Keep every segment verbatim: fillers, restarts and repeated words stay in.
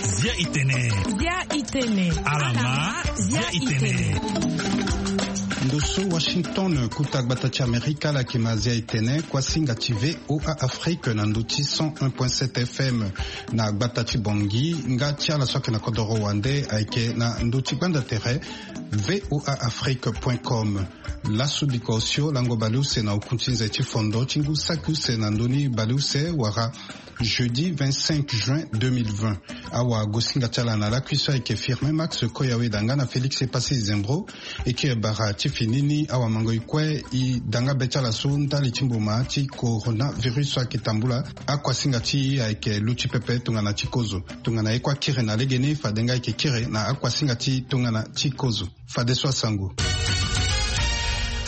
Zia itene. Zia itene. Alama, zia itene. Ndo so Washington, kuta gbata ti Amerika, ala yeke ma zia itene, kuasinga ti V O A Afrique na ndo ti cent un point sept F M na gbata ti Bangui, nga ti ala so ayeke na kodoro wande ayeke na ndo ti gbanda tere V O A Afrique point com. Laso biko osio lango baleuse na oku ti nze ti fondo ti ngu saki use na ndö ni baleuse wala jeudi vingt-cinq juin deux mille vingt. Awagosinga ti ala na lakui so ayeke Firmin Max Koyaweda nga na Félix Epassi Zembro. E kiri bara ti fini ni awamango e kue e da nga be ti ala so ndali ti mboma ti coronavirus so ayeke tambula. Akuasinga ti e ayeke luti pepe tongana ti kozo. Tongana e kue akiri na legeni, fade nga e yeke kiri na akuasinga ti tongana ti kozo. Fadeso asango.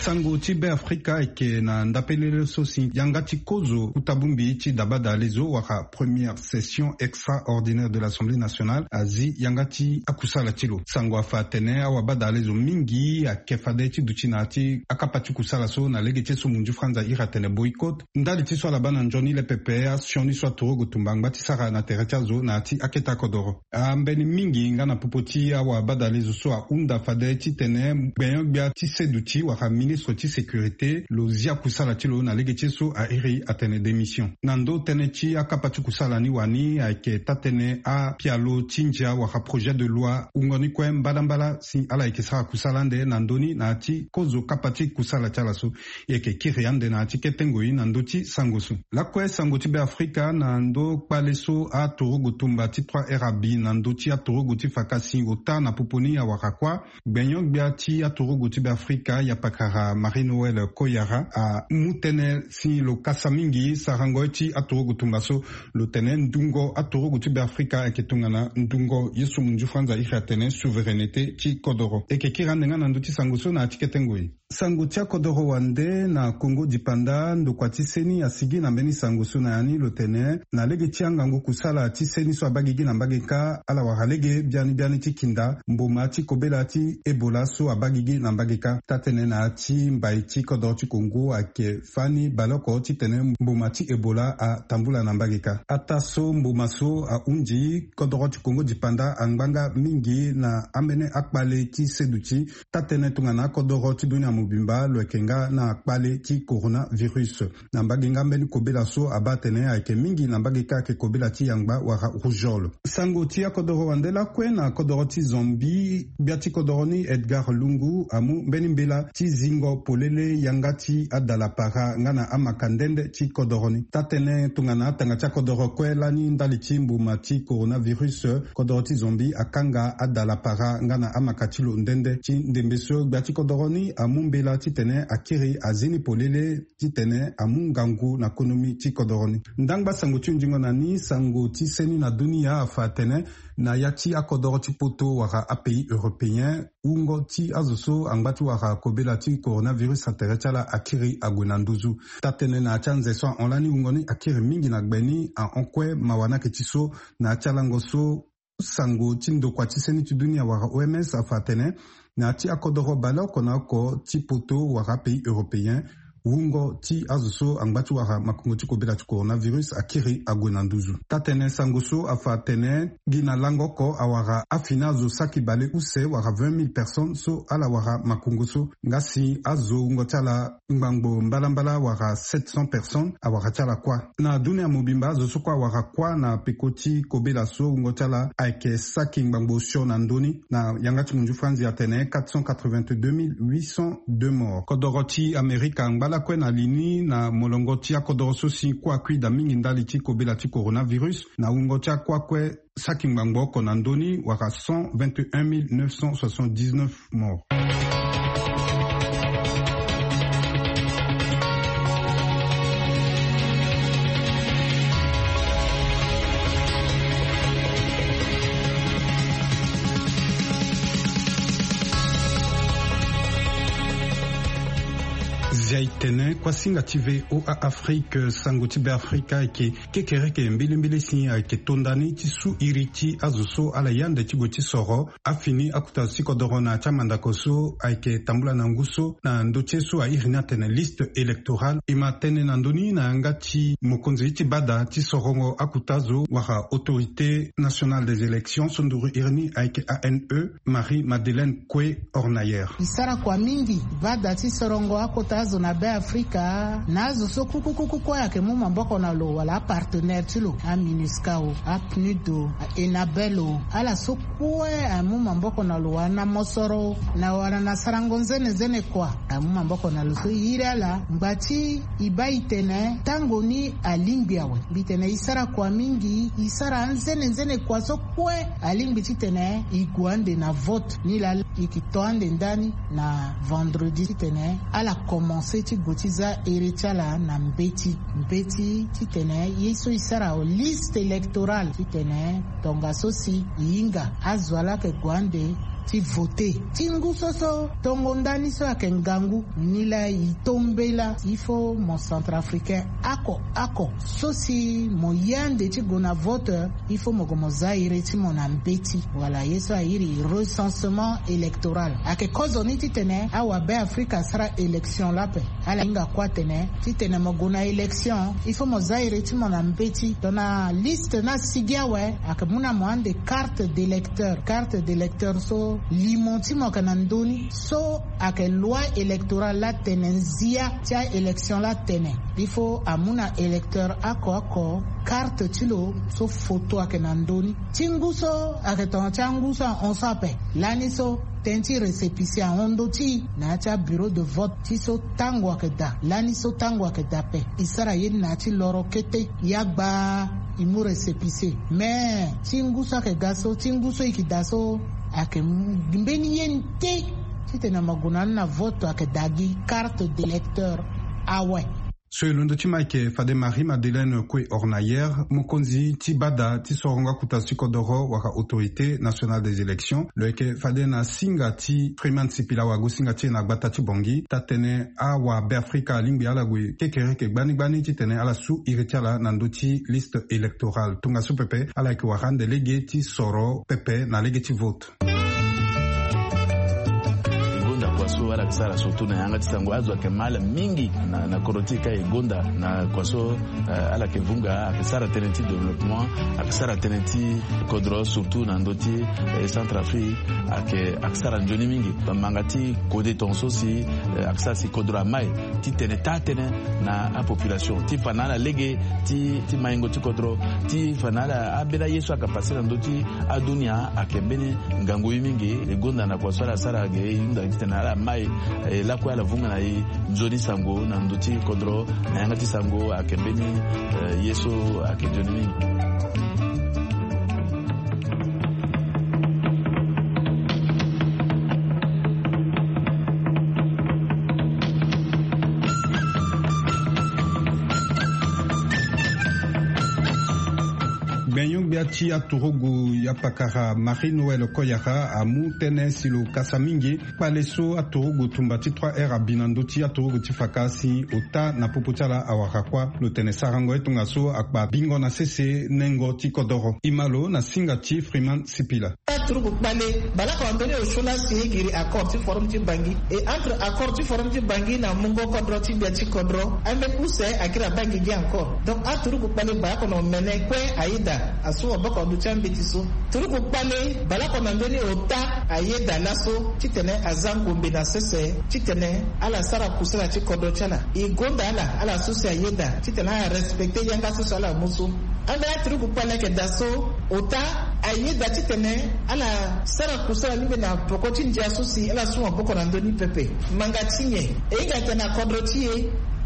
Sango ti Beafrika ayeke na ndapelele so si yanga ti kozo kuta bongbi ti dabadalezo wala première session extraordinaire de l'Assemblée nationale azi yanga ti akusala ti lo. Sango afa atene awabadalezo mingi ayeke fade ti duti na ya ti akapa ti kusala so na lege ti ye so munzu franza iri atene boycott. Ndali ti so ala baa na nzoni le pepe, asioni so aturugu tumba angba ti sara na tere ti azo na ya ti akete akodoro. Ambeni mingi nga na popo ti awabadalezo so ahunda fade titene gbenyo-gbia ti seduti wala ministre ti sécurité lo zia kusala ti lo na lege ti ye so airi atene démission. Na ndo tënë ti akapa ti kusala ni wani ayeke taa-tënë apialo ti ndia wala projet de loi wungo ni kue mbala mbala si ala yeke sara kusala ande na ndö ni na ya ti kozo kapa ti kusala ti ala so. E yeke kiri ande na ya ti kete ngoi na ndö ti sango so. Lakue sango ti Beafrika na ndö kpale so aturugu tumba ti trois R abi na ndö ti aturugu ti fakasi ota na popo ni awara kuâ. Gbenyo-gbia ti aturugu ti Beafrika, yapakara Marie-Noëlle Koyara, amu tënë si lo kasa mingi sarango ye ti aturugu tumba so. Lo tene ndungo aturugu ti Beafrika ayeke tongana ndungo ye so munzu franza iri atene souveraineté ti kodoro. E yeke kiri ande nga na ndö ti sango so na ya ti kete ngoi. Sango ti akodoro wande na Kongo dipanda, ndokua ti seni asigi na mbeni sango so na ya ni lo tene na lege ti angangu kusala ti seni so abaa gigi na mbage kâ, ala wara lege biani biani ti kinda mboma ti kobela ti Ebola so abaa gigi na mbage kâ. Taa-tënë na ya ti mbai ti kodoro ti Kongo ayeke fani baleoko titene mboma ti Ebola atambula na mbage kâ. Ataa so mboma so ahunzi, kodoro ti Kongo dipanda angba nga mingi na ambeni akpale ti seduti. Taa-tënë tongana akodoro ti dunia mobimba lo yeke nga na kpale ti coronavirus. Na mbage nga mbeni kobela so abaa atene ayeke mingi na mbage kâ ayeke kobela ti yangba wala rougeole. Sango ti akodoro wande lakue na kodoro ti Zambie, gbia ti kodoro ni Edgar Lungu amu mbeni mbela ti zingo polele yanga ti adalapara nga na amaka nde nde ti kodoro ni. Taa-tënë tongana atanga ti akodoro kue lani ndali ti mboma ti coronavirus, kodoro ti Zambie akanga adalapara nga na amaka ti lo nde nde. Ti ndembe so gbia ti kodoro ni amu mbela titene akiri azi ni polele titene amu ngangu na konomi ti kodoro ni. Ndangba sango ti hunzingo na ni, sango ti seni na dunia afa atene na ya ti akodoro ti poto wala apays européen, wungo ti azo so angba ti wara kobela ti coronavirus na tere ti ala akiri ague na nduzu. Taa-tënë na ya ti anze so ahon lani wungo ni akiri mingi na gbe ni, ahon kue mawa ni ayeke ti so na ya ti alango so sango ti ndokua ti seni ti dunia wala O M S afa atene na ya ti akodoro baleoko na oko ti poto wala apays européen, wungo ti azo so angba ti wara makongo ti kobela ti coronavirus akiri ague na nduzu. Taa-tënë sango so afa atene gi na lango oko awara afini azo saki baleuse wala vingt mille personnes so ala wara makongo so, nga si azo wungo ti ala ngbangbo mbalambala wala sept cents personnes awara ti ala kuâ. Na dunia mobimba azo so kue awara kuâ na peko ti kobela so wungo ti ala ayeke saki ngbangbo osio na ndö ni, na yanga ti munzu franzi atene quatre cent quatre-vingt-deux mille huit cent deux morts. Kodoro ti Amerika angba lakue na li ni na molongo ti akodoro so si kue akui daa mingi ndali ti kobela ti coronavirus, na wungo ti akua kue saki ngbangbo oko na ndö ni wala cent vingt et un mille neuf cent soixante-dix-neuf morts. Zia itene kuasinga ti VOA Afrique, sango ti Beafrika ayeke kekereke mbilimbili si ayeke to ndani ti su iri ti azo so ala yande ti gue ti soro afini akuta ti kodoro na ya ti amandako so ayeke tambula na ngu so na ndö ti ye so airi ni atene liste électorale. E ma tene na ndö ni na yanga ti mokonzi ti bada ti sorongo akuta zo wala Autorité Nationale des Élections so nduru iri ni ayeke A N E, Marie Madeleine Kue Hornayer. E sara kua mingi bada ti sorongo akota azo na Beafrika na azo so kukukuku kue ayeke mu maboko na lo wala apartenaire ti lo, aMINUSCA o, aPNUD o, aENABEL o, ala so kue amu maboko na lo wala na mosoro na wala na sarango nzene nzene kua. Amu maboko na lo so e iri ala ngba ti e baa e tene tango ni alingbi awe. Mbi tene e sara kua mingi, e sara anzene nzene kua so kue alingbi titene e gue ande na vote. Nilaa e yeke to ande ndani na vendredi titene ala komanse ti gue ti za iri ti ala na mbeti mbeti titene ye so e sara liste électorale titene tongaso si e hinga azo ala yeke gue ande ti vote. Ti ngu so so tongo ndani so ayeke ngangu, nilaa e to mbela il faut mo centrafricain oko oko so si mo ye ande ti gue na vote, il faut mo gue mo za iri ti mo na mbeti wala ye so airi recensement électoral. Ayeke kozoni titene awabeafrika asara élection lape. Ala hinga kue atene titene mo gue na élection il faut mo za iri ti mo na mbeti. Tongana liste ni asigi awe, ayeke mu na mo ande carte d'électeur. Carte d'électeur so limo ti mo ayeke na ndö ni so ayeke loi électorale la tene nzia ti aélection la tene. Il faut amu na électeur oko oko carte ti lo so photo ayeke na ndö ni. Ti ngu so ayeke tongana ti angu so ahon so ape. Lani so tënë ti récépissé ahon ndö ti e na ya ti abureau de vote ti so tango ayeke daa. Lani so tango ayeke daa ape, e sara ye ni na ya ti loro kete. Ya gbaa e mu récépissé. Mais ti ngu so ayeke ga so, ti ngu so e yeke daa so, ayeke mbeni ye ni te titene mo gue na ni na vote ayeke daa gi carte d'électeur awe. So e londo ti ma ayeke fade Marie Madeleine Kue Hornayer, mokonzi ti bada ti sorongo akuta ti kodoro wala Autorité Nationale des Élections, lo yeke fade na singa ti Freeman Sipila wago singa ti e na gbata ti Bangui, taa-tënë awabeafrika alingbi ala gue kekereke gbani gbani titene ala su iri ti ala na ndö ti liste électorale. Tongaso pepe ala yeke wara ande lege ti soro pepe na lege ti vote. E gonda kua so ala yeke sara surtout na yanga ti sango, azo ayeke ma ala mingi na, na kodro ti e ka e gonda na kua so, eh, ala yeke vunga, ayeke sara tënë ti développement, ayeke sara tënë ti kodro surtout na ndö ti, eh, Centrafrique, ayeke, ayeke sara nzoni mingi. Manga ti kode tongaso si, eh, ayeke sara si kodro amai titene taa-tënë na apopulation ti fa na ala lege ti, ti maingo ti kodro, ti fa na ala ambeni aye so ayeke pase na ndö ti adunia ayeke mbeni ngangu ye mingi. E gonda na kua so ala sara ge e hunda titene ala mai, eh, lakue ala vunga na e nzoni sango na ndö ti kodro na yanga ti sango ayeke mbeni, eh, ye so ayeke nzoni mingi. Gbenyo-gbia ti aturugu ya pakara Marie Noël Koyara amu tënë si lo kasa mingi kpale so aturugu tumba ti trois R abi na ndö ti aturugu ti faka si ota na popo ti ala awara kuâ. Lo tene sarango ye tongaso akpa bingo na sese nengo ti kodoro. E ma lo na singa ti Freeman Sipila. Aturugu kpale baleoko na ndö ni osio laa si e giri accord ti forum ti Bangui. E entre accord ti forum ti Bangui na mungo kodro ti gbia ti kodro, ambeni use akiri abaa gi gi encore. Donc aturugu kpale baleoko na omene kue ayeda asu maboko na ndö ti ambeti so. Turugu kpale baleoko na ndö ni ota ayeda laso titene aza ngombe na sese titene ala sara kusala ti kodro ti ala. E gonda ala, ala so si ayeda titene ala respecté yanga so si ala mu so. Ambeni aturugu kpale ayeke daa so ota ayeda titene ala sara kusala ni mbeni na poko ti ndia so si ala su maboko na ndö ni pepe. Manga ti nyen? E hinga tene na kodro ti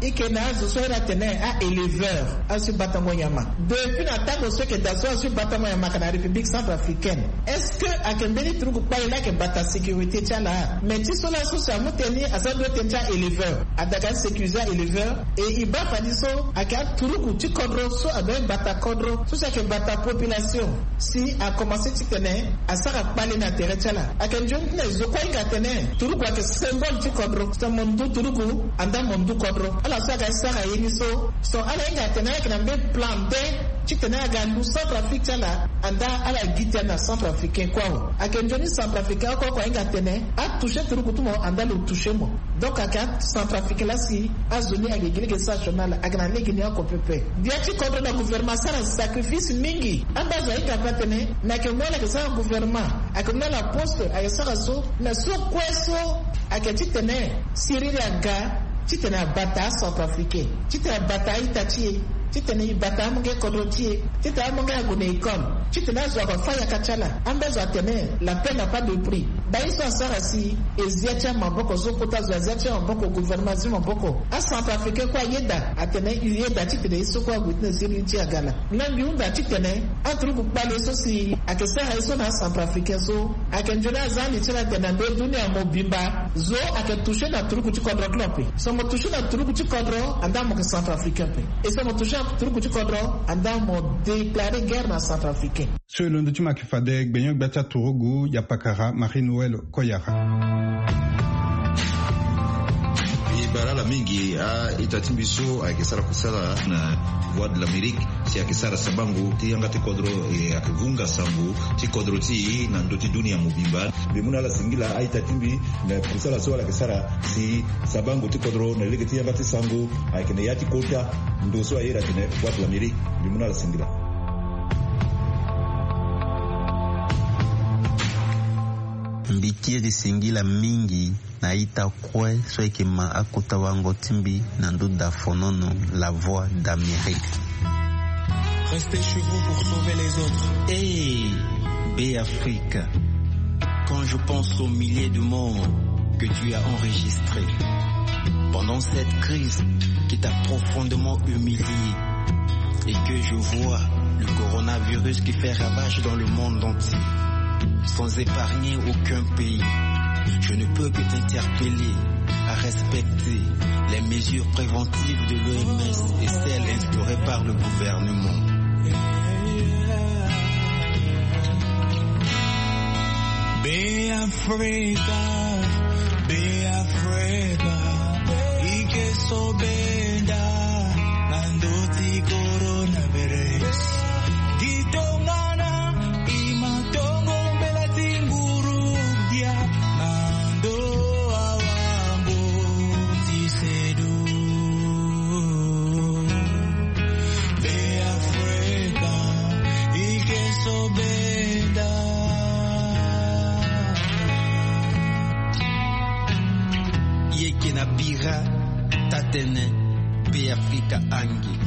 e Ike na azo so ayeda atene a-éleveur, azo so e batango nyama. Depuis na tango so eke daa so azo so e batango nyama ake na République centrafricaine, est-ce que ake mbeni turuku kpale laa ake bata sécurité ti ala? Mais ti so laa so si amu tënë ni, aza doit tënë ti a-éleveur, adaka sécuriser a-éleveur. E e baa fani so ake aturuku ti kodro so adoit bata kodro so si ake bata population. Si akomanse titene asara kpale na tere ti ala. Ake nzoni ti na e zo kue ahinga atene turuku ake symbole ti kodro. So mo ndu turuku, andaa mo ndu kodro. Ala so aga sara ye ni so, so ala hinga atene ala yeke na mbeni plan de titene aga lu centrafrique ti ala. Andaa ala gi tënë na centrafricain kue awe. Ake nzoni centrafricain oko oko ahinga atene atoucher turuku ti mo, andaa lo toucher mo. Donc ake acentrafricain laa si azo ni ake gi lege sara sioni ala, ake na lege ni oko pepe. Bia ti kodro na gouvernement asara sacrifice mingi. Amba azo ahinga ape atene me ake mu ala ake sara gouvernement, ake mu ala poste, ake sara so. Me so kue so ake titene siriri aga titene abata acentrafricain, titene abata a-ita ti e, titene e bata amonge kodro ti e, titene amonge ague na école, titene azo ako afâ yaka ti ala. Amba azo atene la paix n'a pas de prix. Baa ye so asara si e zia ti amaboko so kota zo azia ti amaboko, gouvernement azia maboko. Acentrafricain kue ayeda atene e yeda titene ye so kue ague ti na siriri ti aga laa. Nga mbi hunda titene aturuku kpale so si ake sara ye so na acentrafricain so, ake nzoni aza ande ti ala atene na ndo dunia mobimba zo ake toucher na turuku ti kodro ti lo ape. So mo toucher na turuku ti kodro, andaa mo yeke centrafricain ape. E so mo toucher na turuku ti kodro, andaa mo déclarer guerre na centrafricain. So e londo ti mo ayeke fade gbenyo-gbia ti aturugu, yapakara Marie-Noël Koyara. E bara ala mingi a-ita ti mbi so ayeke sara kusala na Voix de l'Amérique, si ayeke sara sabango ti yanga ti kodro, e ayeke vunga sango ti kodro ti e na ndö ti dunia mobimba. Mbi mu na ala singila a-ita ti mbi na kusala so ala yeke sara si sabango ti kodro na lege ti yanga ti sango ayeke na ya ti kota ndo so ayeda atene Voix de l'Amérique. Mbi mu na ala singila. Mbi kiri singila mingi na ita kue so ayeke ma akota wango ti mbi na ndö dafonono, La Voix d'Amérique. Restez chez vous pour sauver les autres. Hey, B'Afrique, quand je pense aux milliers de morts que tu as enregistrés pendant cette crise qui t'a profondément humilié et que je vois le coronavirus qui fait ravage dans le monde entier, sans épargner aucun pays, je ne peux que t'interpeller à respecter les mesures préventives de l'O M S et celles instaurées par le gouvernement. Be Africa, be Africa, ike so benda na ndö ti coronavirus. Gi tongana i ma tongo mbela ti nguru dia na ndö awango ti sedu. Be Africa, ike so benda. Yeke na bira tatene Be Africa angi.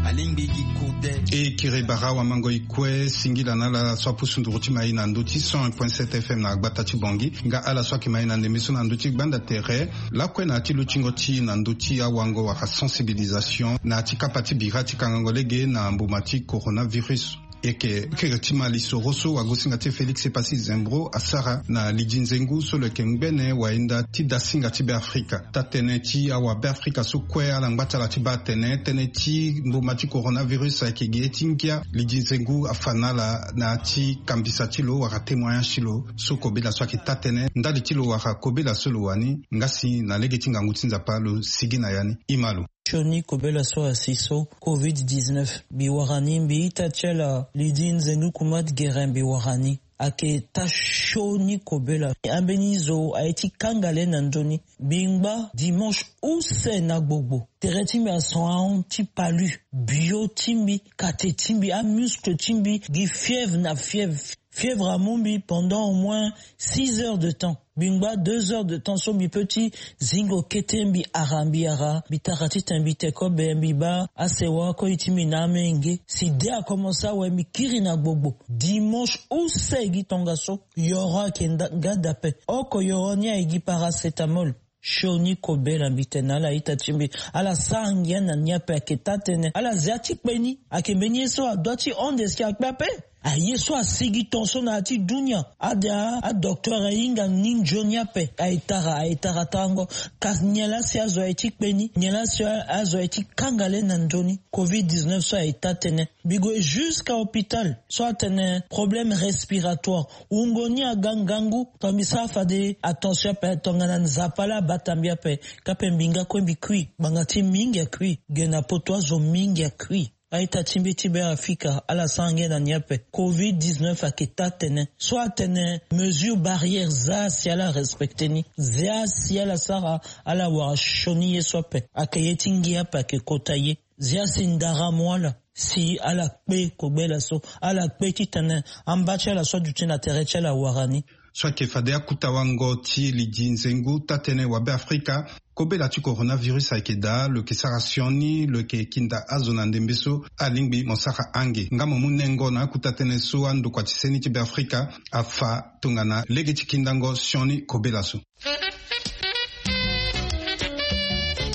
Alingbi gi kude. E kiri bara wamango e kue singila na ala so apusu nduru ti mai na ndö ti cent un point sept F M na gbata ti Bangui, nga ala so ayeke mai na ndembe so na ndö ti gbanda tere lakue na ya ti lutingo ti na ndö ti awango wala sensibilisation na ya ti kapa ti bira ti kangango lege na mbuma ti coronavirus. Eke kiri ti ma lisoro so wagosinga ti e Félix Epassi Zembro asara na lidi nzengu so lo yeke ngbene wayenda ti dasinga ti Beafrika. Tatene ti awa Beafrika so kue ala ngba ti ala ti baa atene tënë ti mbuma ti coronavirus ayeke gi ye ti ngia. Lidi nzengu afa na ala na ya ti kambisa ti lo wala témoignage ti lo so kobela so ayeke taa tënë ndali ti lo wala kobela so lo wani. Nga si na lege ti ngangu ti Nzapa lo sigi na ya ni. Ima lo. Sioni kobela so asi so covid dix-neuf mbi wara ni mbi ita ti ala Lydie Nzengu Kumat Guérin mbi wara ni. Ayeke taa sioni kobela. Ambeni zo aye ti kanga le na nzoni. Mbi ngba dimanche use na gbogbo. Tere ti mbi ason ahon ti palu. Bio ti mbi, kate ti mbi, amuscle ti mbi gi fièvre na fièvre. Fièvre amu mbi pendant au moins six heures de temps. Mbi ngba deux heures de temps so mbi peut ti zingo kete mbi ara mbi ara mbi tara titene mbi te kobe mbi baa asewa koi ti mbi na amenge. Si de akomanse awe mbi kiri na gbogbo. Dimanche use gi tongaso yoro ayeke nga dape. Oko yoro ni aye gi paracétamol. Sioni kobela mbi tene ala ita ti mbi, ala sara ngia na ni ape, ayeke taa-tënë. Ala zia ti kpe ni, ayeke mbeni ye so adua ti hon de si akpe ape. Aye so asigi ton so na ya ti dunia. Ade a, adocteur ahinga ni nzoni ape. Aye tara, aye tara tango. Kasi nyen laa si azo aye ti kpe ni? Nyen laa si azo aye ti kanga le na nzoni? Covid dix-neuf so aye taa-tënë. Mbi gue jusqu'à hôpital so atene problème respiratoire. Wungo ni aga ngangu. Tongana mbi sara fade attention ape, tongana Nzapa laa abata mbi ape, ka mpe mbi nga kue mbi kui. Ngbanga ti mingi akui. Ge na poto azo mingi akui. A-ita ti mbi ti Beafrika, ala sara ngia na ni ape. Covid dix-neuf ayeke taa-tënë. So atene mesure barrière, zia si ala respecter ni. Zia si ala sara, ala wara sioni ye so ape. Ayeke ye ti ngia ape ayeke kota ye. Zia si ndara amu ala, si ala kpe kobela so, ala kpe titene amba ti ala so aduti na tere ti ala awara ni. So ayeke fade akuta wango ti lidi nzengu taa-tënë wa Beafrika, kobela ti coronavirus ayeke daa, lo yeke sara sioni, lo yeke kinda azo na ndembe so alingbi mo sara ange. Nga mo mu nengo na akuta tënë so andokua ti seni ti Beafrika afa tongana lege ti kindango sioni kobela so.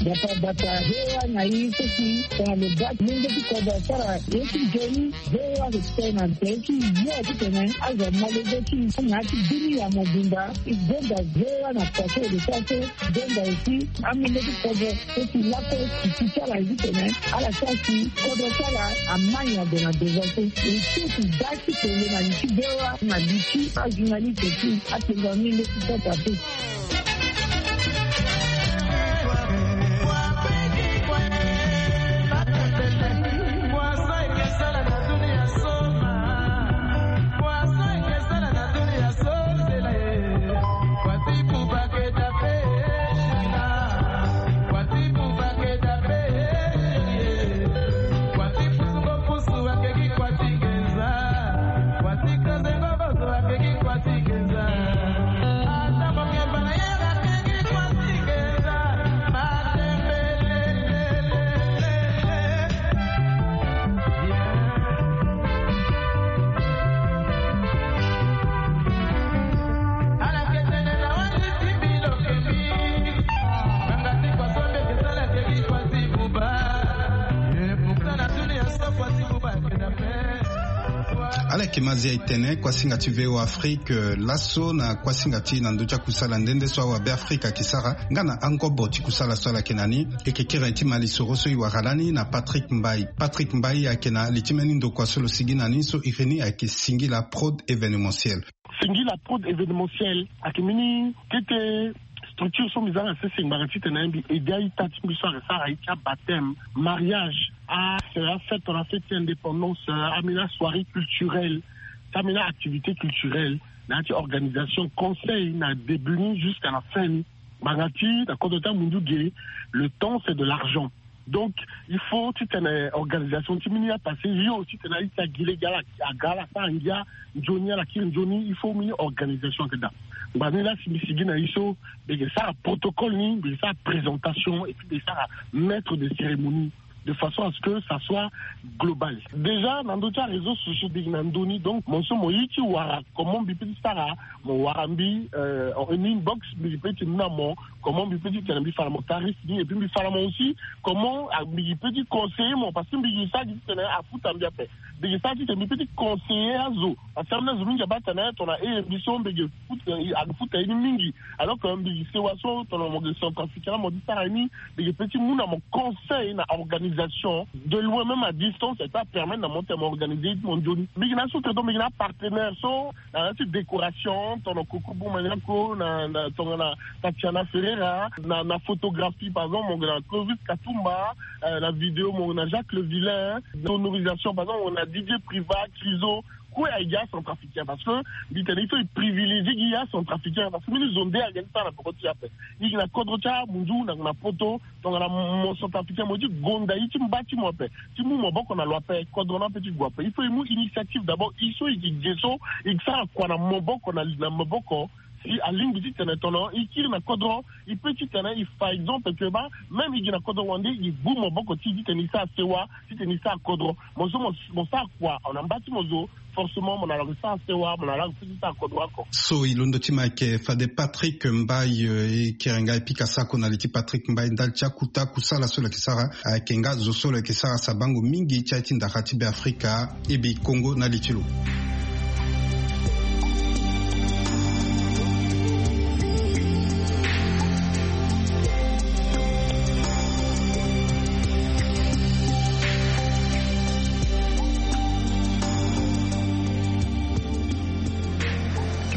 Bata bata, V O A na i seki tongana lo baa ti lenge ti kodro asara ye ti nzoni, V O A respect na nze ti yo titene azo amolenge ti na ya ti bini ya mobimba. I gonda V O A na kua so e lo sara so, gonda aussi amolenge ti kodro so si lakue ti ti ti ala titene ala sara si kodro ti ala ama nyen ague na devant so. E so ti baa ti tene na li ti V O A na li ti ajournaliste ti atene ni leti kota te. Ala yeke ma zia e tene kuasinga ti V O A Afrique, eh, laso na kuasinga ti na ndö ti akusala nde nde so awabe Afrika ayeke sara nga na angobo ti kusala so ala yeke na ni. E yeke kiri ti malisoro so e wara lani na Patrick Mbaye. Patrick Mbaye ayeke na li ti mbeni ndokua so lo sigi na ni so iri ni ayeke Singila Prod Événementiel. Singila Prod Événementiel ayeke mbeni kete structure so mbi za na sese ngbanga titene mbi aidé a-ita ti mbi so ayeke sara ye ti abaptême, mariage, a, afête, na fête ti indépendance, a, ambeni asoirée culturelle, ti ambeni aactivité culturelle, na ya ti organisation, conseil na début ni jusqu'à la fin ni. Ngbanga ti na kodro ti amundu ge, le temps c'est de l'argent. Donc il faut titene organisation ti mbeni apassé yo titene a-ita gi lege ala aga ala sara ngia nzoni, ala kiri nzoni, il faut mbeni organisation ayeke daa. Ngbanga ni laa si mbi sigi na e so, mbi yeke sara protocole ni, mbi yeke sara présentation et puis mbi yeke sara maître de cérémonie de façon à ce que ça soit global. Déjà na ndö ti aréseaux sociaux mbi yeke na ndö ni, donc mo so mo ye ti wara comment mbi peut ti sara, mo wara mbi, euh, en inbox, mbi peut ti mu na mo comment mbi peut ti tene mbi fa na mo tarif ni, et puis mbi fa na mo aussi comment, ah, mbi peut ti conseiller mo, parce que mbi yeke sara gi titene afuta mbi ape. Mbi yeke sara titene mbi peut ti conseiller azo, parce que ambeni azo mingi abaa tene tongana e mbi so mbi yeke futa, eh, afuta ye ni mingi. Alors que mbi yeke sewa so tongana mo yeke centrafricain, mo ti sara ye ni, mbi yeke peut ti mu na mo conseil na organisation de loin, même à distance, et ça permet na mo tene mo organiser ye ti mo nzoni. Mbi yeke na so tene donc mbi yeke na apartenaire so na ya ti décoration, tongana Koko Bumaniako, na, na, tongana Tatiana Ferreira, na, na photographie, par exemple, mo yeke na Clovis Katumba, euh, na vidéo, mo yeke na Jacques Le Vilain, sonorisation, par exemple, mo yeke na Didier Privat, Criso, kue ayeke acentrafricain, parce que mbi tene il faut e privilégier gi acentrafricain, parce que mbeni zo nde ayeke ti sara na peko ti e ape. E yeke na kodro ti amunzu na, na poto, tongana mo centrafricain mo ye ti gonda ye ti mba ti mo ape, ti mu maboko na lo ape, kodro ni ape ti gue ape. Il faut e mu initiative d'abord, e so e yeke ge so, e yeke sara kua na maboko na, na maboko, Si alingbi titene tongana e kiri na kodro, e pe titene e fa exemple ke baa, même e gi na kodro wande, e gbu maboko ti e titene e sara sewa, titene e sara kodro. Mo so mo sara kua na mba ti mo zo, forcément mo na lango ti sara sewa, mo na lango ti sara kodro oko. So e londo ti mo ayeke fade Patrick Mbaye, e kere nga e pika sako na li ti Patrick Mbaye ndali ti akuta kusala so lo yeke sara. Ayeke nga zo so lo yeke sara sabango mingi ti aye ti ndara ti Be Afrika. E bi Kongo na li ti lo.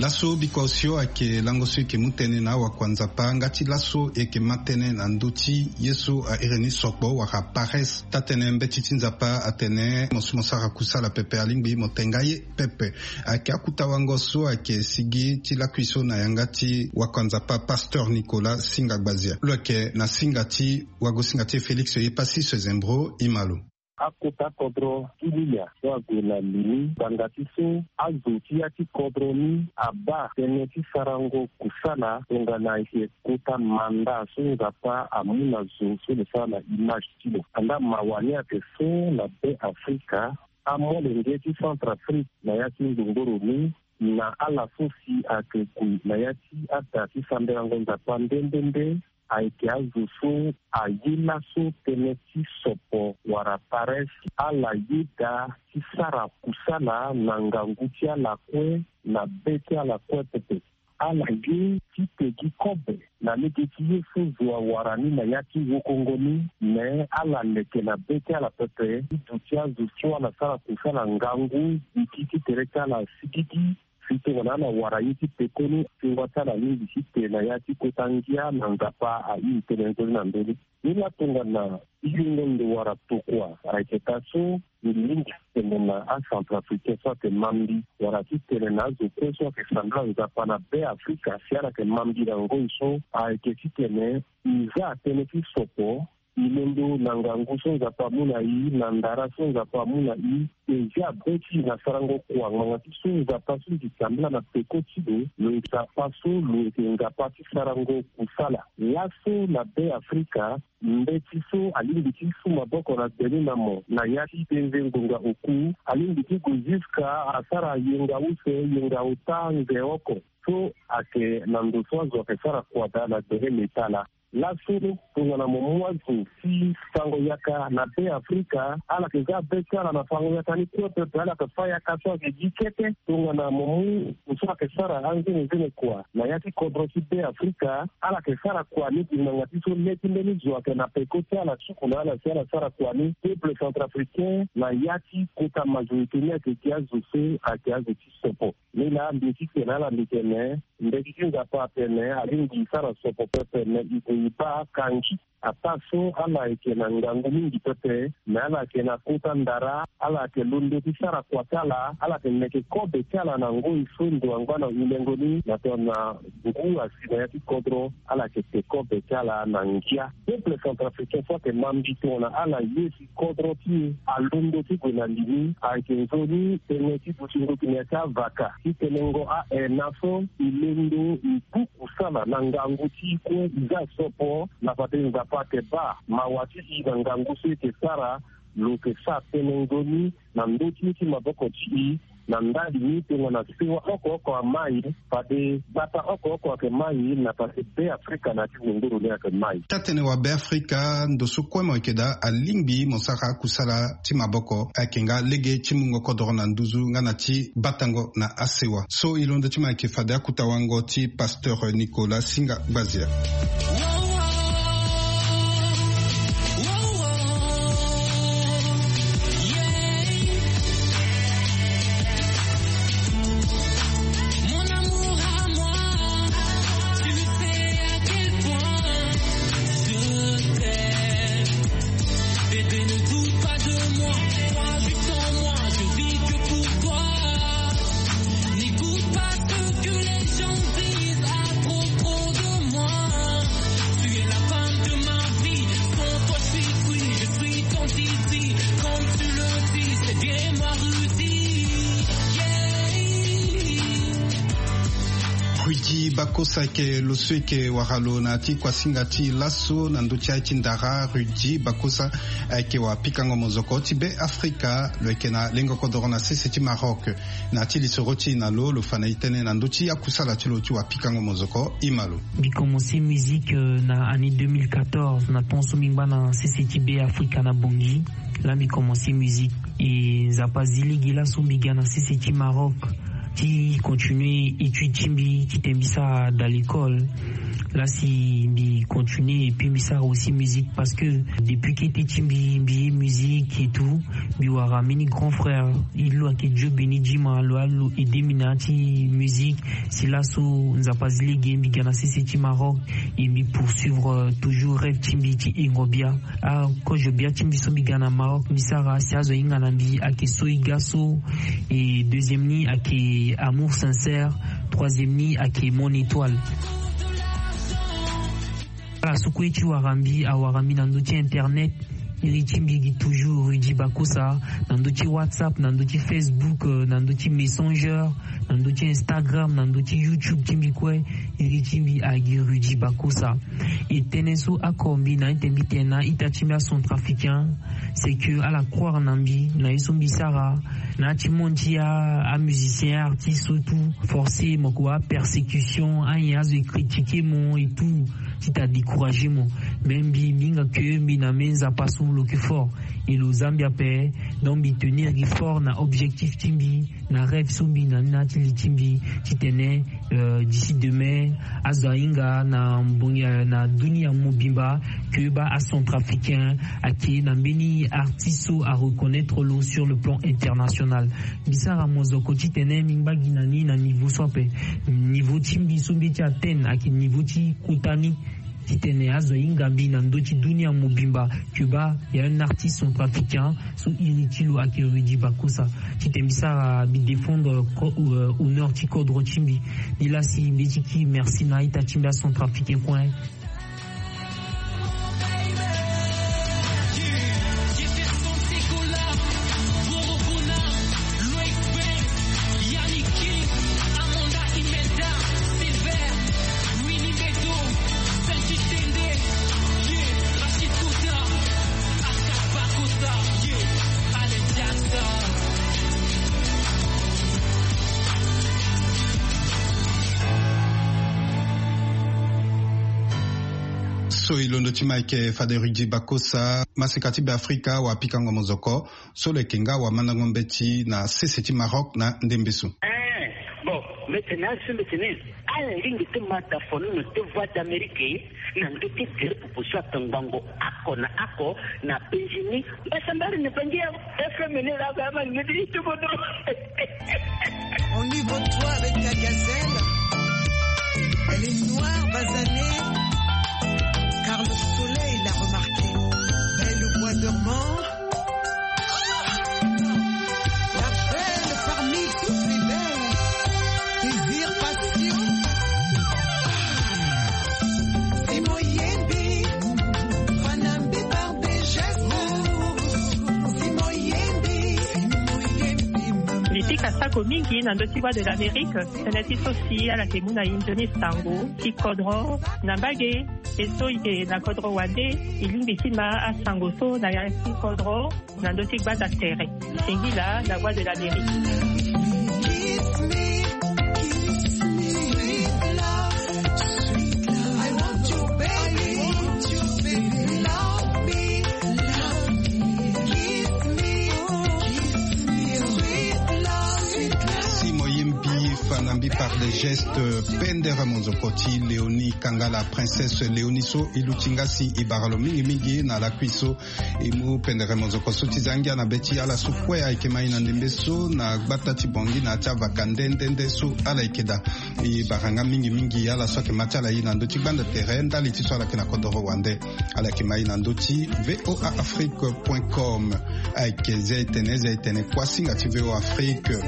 Laso biko osio ayeke lango so e yeke mu tënë na awakua Nzapa nga ti laso e yeke ma tënë na ndö ti ye so a iri ni sokpo wala pares. Taa-tënë mbeti ti Nzapa atene mo so mo sara kusala pepe alingbi mo te nga ye pepe. Ayeke akuta wango so ayeke sigi ti lakui so na yanga ti wakua Nzapa pasteur Nicolas Singa Gbazia. Lo yeke na singa ti wagosinga ti e Félix Yepassis Zembro. E ma lo. Akota kodro ti Lilia so ague na li ni, ngbanga ti so azo ti ya ti kodro ni abaa tënë ti sarango kusala tongana e yeke kota manda so Nzapa amu na zo so lo sara na image ti lo. Andaa mawa ni ayeke so na Be Afrika, amolenge ti Centrafrique na ya ti ngbongboro ni, na ala so si ayeke gue na ya ti ada ti sambelango Nzapa nde nde nde, ayeke azo so aye laso tënë ti sopo wala pares. Ala yeda ti sara kusala na ngangu ti ala kue, na be ti ala kue pepe. Ala ye titene gi kobe na lege ti ye so zo awara ni na ya ti wokongo ni, me ala leke na be ti ala pepe ti duti azo so ala sara kusala ngangu, gi ti tere ti ala sigigi. Si tongana ala wara ye ti pekoni, si wa ti ala alingbi ti te na ya ti kota ngia na Nzapa airi tënë nzoni na ndö ni. Ni laa tongana yongo ndo wala tokua ayeke taa so, e lingbi ti tene na aCentrafricain so ayeke ma mbi, wala ti tene na azo kue so ayeke sambela Nzapa na Be Afrika si ala yeke ma mbi na ngoi so, ayeke titene e za tënë ti sopo. E londo na ngangu so Nzapa amu na e, na ndara so Nzapa amu na e, e zia be ti e na sarango kua ngbanga ti so Nzapa so e yeke sambela na peko ti lo, lo yeke Nzapa so lo yeke Nzapa ti sarango kusala. Laso na Be Afrika, mbeti so alingbi ti su maboko na gbe ni na mo na ya ti denze ngonga oku, alingbi ti gue jusqu'à asara yenga use, yenga ota, nze oko. So ayeke na ndo so azo ayeke sara kua daa na gbele leta laa. Laso tongana mo mu azo ti fango yaka na Be Afrika, ala yeke za be ti ala na fango yaka ni kue pepe, ala yeke fâ yaka so ayeke gi kete. Tongana mo mu ndo so ayeke sara anzenenzene kua na ya ti kodro ti Be Afrika, ala yeke sara kua ni gi ngbanga ti so le ti mbeni zo ayeke na peko ti ala, suku na ala si ala sara kua ni. Peuple centrafricain na ya ti kota majorité ni ayeke gi azo so ayeke azo ti sopo. Ni laa mbi ye ti tene na ala, mbi tene, mbeti ti Nzapa atene alingbi e sara sopo pepe, me e gue e baa kangi. Ataa so ala yeke na ngangu mingi pepe, me ala yeke na kota ndara, ala yeke londo ti sara kua ti ala, ala yeke meke kobe ti ala na ngoi so ndo angba na hulengo ni na tongana ngu asi na ya ti kodro, ala yeke te kobe ti ala na ngia. Peuple centrafricain so ayeke ma mbi tongana ala ye si kodro ti e alondo ti gue na li ni, ayeke nzoni tënë ti duti ndoki na ya ti avaka ti tenengo a-ena so e londo e bu kusala na ngangu ti e kue, e za sopo na fade Nzapa ayeke baa mawa ti e na ngangu so e yeke sara. Lo yeke sara tënë nzoni na ndö ti ye ti maboko ti e. Na ndali ni tongana sewa oko oko amai, fade gbata oko oko ayeke mai, na fade Be Afrika na ya ti ngongoro ni ayeke mai. Taa-tënë wa Be Afrika, ndo so kue mo yeke daa alingbi mo sara akusala ti maboko, ayeke nga lege ti mungo kodro na nduzu nga na ti batango na asewa. So e londo ti mo ayeke fade akuta wango ti pasteur Nicolas Singa Gbazia. Mon amour à moi, tu sais à quel point je t'aime. Bébé, ne doute pas de moi, crois juste en moi, je vis que pour toi. N'écoute pas ce que les gens disent à propos de moi. Kosa eke lo so eke wara lo na ya ti kuasinga ti laso na ndö ti aye ti ndara, Rudy Bakosa, ayeke wapikango mozoko ti Be Afrika. Lo yeke na lengo kodoro na sese ti Maroc. Na ya ti lisoro ti e na lo, lo fa na e tënë na ndö ti akusala ti lo ti wapikango mozoko. E ma lo. Mbi commencé musique, euh, na année deux mille quatorze, na temps so mbi ngba na sese ti Be Afrika na Bangui. Laa mbi commencé musique. E Nzapa azi lege laso mbi ga na sese ti Maroc ti continuer étude ti mbi, titene mbi sara dans l'école. Laa si mbi continuer et puis mbi sara aussi musique, parce que depuis kete ti mbi, mbi ye musique et tout, mbi wara mbeni grand frère, e lo ayeke Dieu béni Djima, lo a lo aidé mbi na ya ti musique. Si laso Nzapa azi lege mbi ga na sese ti Maroc, e mbi poursuivre, euh, toujours rêve ti mbi ti hengo bia. Akozo bia ti mbi so mbi ga na Maroc, mbi sara si azo ahinga na mbi ayeke So e ga so. Et deuxième ni ayeke Amour sincère. Troisième ni ayeke Mon étoile. Ala so kue ti wara mbi, awara mbi na ndö ti internet. Iri ti mbi gi toujours Rudy Bakosa, na ndö ti WhatsApp, na ndö ti Facebook, euh, na ndö ti Messenger, na ndö ti Instagram, na ndö ti YouTube ti mbi kue. Iri ti mbi agi Rudy Bakosa. E tënë so oko mbi na ete mbi tene na ita ti mbi acentrafricain, c'est que ala croire na mbi, na ye so mbi sara. Na ya ti monde ti a, amusicien, artiste so tout, forcé mo ko apersécution, anyen azo e critiquer mo et tout, ti ta décourager mo. Mais mbi, mbi hinga que mbi na me Nzapa so lo yeke fort. Et lo za mbi ape, donc mbi tenir gi fort na objectif ti mbi, na rêve so mbi na ni na ya ti li ti mbi, titene, euh, d'ici demain, azo ahinga na mbongi, euh, na dunia mobimba, que baa acentrafricain ayeke na mbeni artiste so areconnaître lo sur le plan international. Mbi sara mozoko titene mbi ngba gi na ni na niveau so ape. Niveau ti mbi so mbi ye ti atteindre ayeke niveau ti kota ni. Titene azo ahinga mbi na ndö ti dunia mobimba, que baa il y a un artiste centrafricain so iri ti lo ayeke Rudy Bakosa. Titene mbi sara, mbi défendre ko-, euh, honneur ti kodro ti mbi. Ni laa si mbi ye ti kiri merci na a-ita ti mbi acentrafricain kue. So e londo ti ma ayeke fade Rudy Bakosa, maseka ti Beafrika, wapikango mozoko. So lo yeke nga wamandango mbeti na sese ti Maroc na ndembe so. Eh, bon, mbi tene azo so mbi tene ala lingbi ti ma tafono na te Voix d'Amérique na ndö ti gere popo so atongbango oko na oko na penzi ni. Mbasambari na bangi ya F M ni laa ba ama lingbi ti tobono. On y voit toi avec ta gazelle. Elle est noire, basanée, car le soleil l'a remarquée. Belle au bois dormant. La belle parmi toutes les belles. Désir, passion. Simon Yembi. Fanambi par des gestes. Simon Yembi. Mbi pika sako mingi na ndö ti Voix de l'Amérique. Tënë ti so si ala yeke mu na e nzoni sango ti kodro na mbage. E so e yeke na kodro wande, e lingbi ti ma asango so na ya ti kodro na ndö ti gbanda tere. Singila na Voix de l'Amérique. Si mo ye mbi fa na mbi par des gestes, pendere monzoko ti Léonie Kangala, princesse Léonie so e luti nga si e bara lo mingimingi na lakui so. E mu pendere monzoko so ti za ngia na be ti ala so kue ayeke ma e na ndembe so na gbata ti Bangui na ya ti avaka nde nde nde so ala yeke daa. E bara nga mingimingi ala so ayeke ma ti ala ye na ndö ti gbanda tere ndali ti so ala yeke na kodoro wande. Ala yeke ma e na ndö ti V O A Afrique point com. Ayeke ze etene ze etene kuasinga ti V O A Afrique.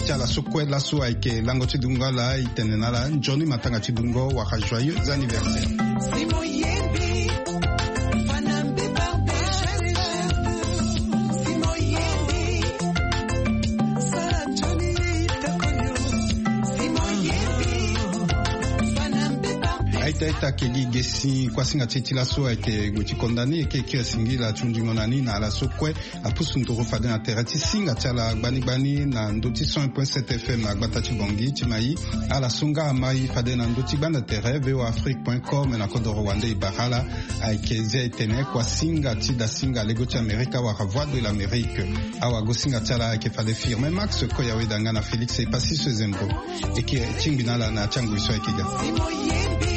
Ti ala so kue laso ayeke lango ti dungo ala, e tene na ala nzoni matanga ti dungo wala joyeux anniversaire. Aita aita keli gesi kuasinga ti e ti laso ayeke gue ti konda ni, e ke kiri singila ti hundingo na ni na ala so kue apusu nduru fade na tere ti singa ti ala gbani gbani na ndö ti cent un point sept F M na gbata ti Bangui ti Maï. Ala so nga amai fade na ndö ti gbanda tere V O A Afrique point com na kodoro wande e bara ala. Ayeke zia e tene kuasinga ti dasinga lego ti Amerika wala Voix de l'Amérique. Awagosinga ti ala ayeke fade Firmin Max Koyaweda nga na Félix Epassis Zembo. E ke tingbi na ala na ti angoi so ayeke ga.